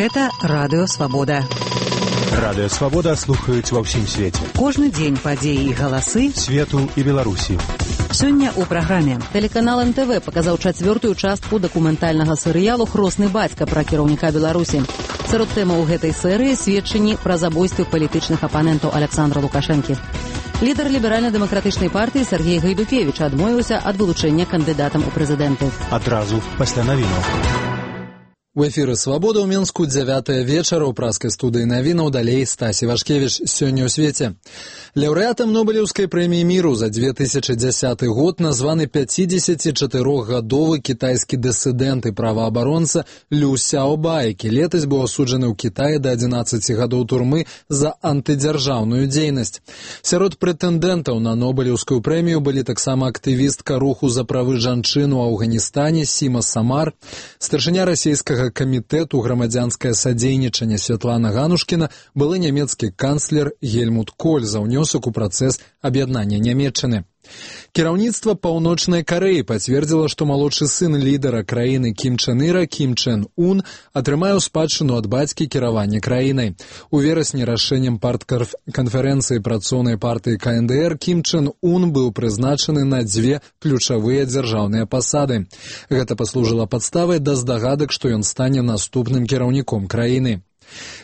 Гэта Радыё Свабода. Радыё Свабода слухаюць ва ўсім свеце. Кожны дзень падзеі і галасы свету і Беларусі. Сёння ў праграме. Тэлеканал НТВ паказаў 4-ю частку дакументальнага серыялу «Хросны бацька» пра кіраўніка Беларусі. Сярод тэмаў гэтай серыі сведчанні пра забойствы палітычных апанентаў Александра Лукашэнкі. Лідар ліберальна-дэмакратычнай партыі Сергей Гайдукевіч адмовіўся ад вылучэння кандыдатам у прэзідэнты. Адразу пасля навінаў. У эфіры «Свабода» ў Мінску 9 вечара ў праскай студыі навінаў, далей Стасі Вашкевіч. Сёння ў свеце. Лаўрэатам Нобелеўскай прэміі міру за 2010 год названы 54-гадовы кітайскі дысідэнт і праваабаронца Лю Сяобао, які летась быў асуджаны ў Кітаі да 11 гадоў турмы за антыдзяржаўную дзейнасць. Сярод прэтэндэнтаў на Нобелеўскую прэмію былі таксама актывістка руху за правы жанчын у Афганістане Сіма Самар, старшыня расійскага камітэту грамадзянскае садзейнічанне Святлана Ганушкіна, былы нямецкі канцлер Гельмут Коль за ўнёсак у працэс аб'яднання Нямецчыны. Кіраўніцтва Паўночнай Карэі пацвердзіла, што малодшы сын лідара краіны Кім Чен Іра, Кім Чен Ун, атрымае ў спадчыну ад бацькі кіраванне краінай. У верасні рашэннем партканферэнцыі працоўнай партыі КНДР Кім Чен Ун быў прызначаны на 2 ключавыя дзяржаўныя пасады. Гэта паслужыла падставай да здагадак, што ён стане наступным кіраўніком краіны.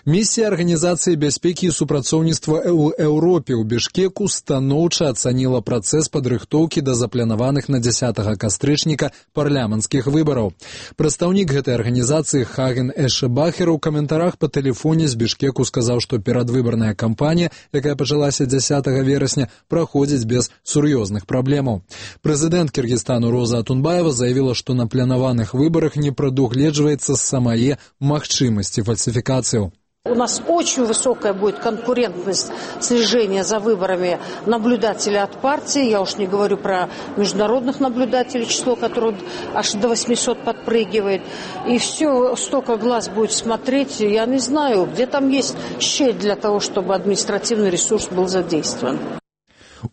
Місія Арганізацыі бяспекі і супрацоўніцтва ў Еўропе ў Бішкеку станоўча ацаніла працэс падрыхтоўкі да запланаваных на 10 кастрычніка парламенцкіх выбараў. Прадстаўнік гэтай арганізацыі Хаген Эшебахер у каментарах па тэлефоне з Бішкеку сказаў, што перадвыбарная кампанія, якая пачалася 10 верасня, праходзіць без сур'ёзных праблемаў. Прэзідэнт Кіргізстану Роза Атунбаева заявіла, што на планаваных выбарах не прадугледжваецца самае магчымасці фальсифікацыяў. У нас очень высокая будет конкурентность слежения за выборами наблюдателей от партии. Я уж не говорю про международных наблюдателей, число которых аж до 800 подпрыгивает. И все, столько глаз будет смотреть. Я не знаю, где там есть щель для того, чтобы административный ресурс был задействован.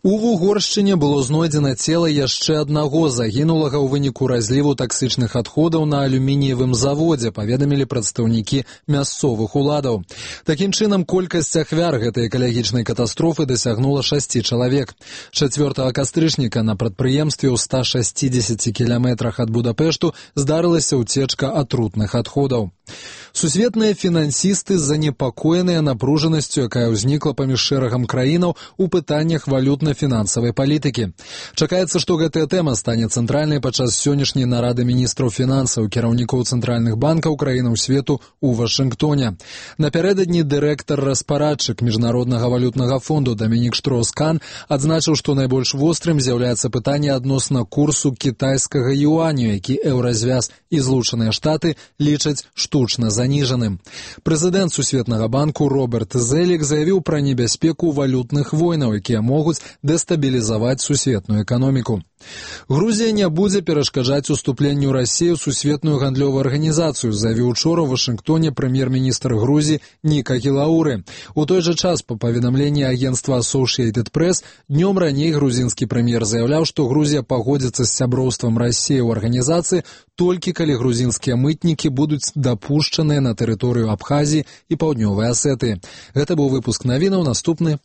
У Вугоршчыне было знойдзена цела яшчэ аднаго загінулага ў выніку разліву таксычных адходаў на алюмініевым заводзе, паведамілі прадстаўнікі мясцовых уладаў. Такім чынам, колькасць ахвяр гэтай экалагічнай катастрофы дасягнула 6 чалавек. 4 кастрычніка на прадпрыемстве ў 160 кіламетрах ад Будапешту здарылася ўцечка атрутных адходаў. Сусветныя фінансісты занепакоеныя напружанасцю, якая ўзнікла паміж шэрагам краінаў у пытаннях валютна-фінансавай палітыкі. Чакаецца, што гэтая тэма стане цэнтральнай падчас сённяшняй нарады міністраў фінансаў, кіраўнікоў цэнтральных банкаў краінаў свету ў Вашынгтоне. Напярэдадні дырэктар распарадчык Міжнароднага валютнага фонду Дамінік Штроус-Кан адзначыў, што найбольш вострым з'яўляецца пытанне адносна курсу кітайскага юаню, які Еўразвяз і Злучаныя Штаты лічаць штучна заніжаным. Прэзідэнт Сусветнага банку Роберт Зелік заявіў пра небяспеку валютных войнаў, якія могуць дэстабілізаваць сусветную эканоміку. Грузія не будзе перашкаджаць уступленню Расіі ў сусветную гандлёвую арганізацыю, заявіў учора ў Вашынгтоне прэм'ер-міністр Грузіі Ніка Гілауры. У той жа час, па паведамленні агенцтва Associated Press, днём раней грузінскі прэм'ер заяўляў, што Грузія пагодзіцца з сяброўствам Расіі ў арганізацыі толькі калі грузінскія мытнікі будуць дапушчаныя на тэрыторыю Абхазіі і Паўднёвай Асетыі. Гэта быў выпуск навінаў, наступны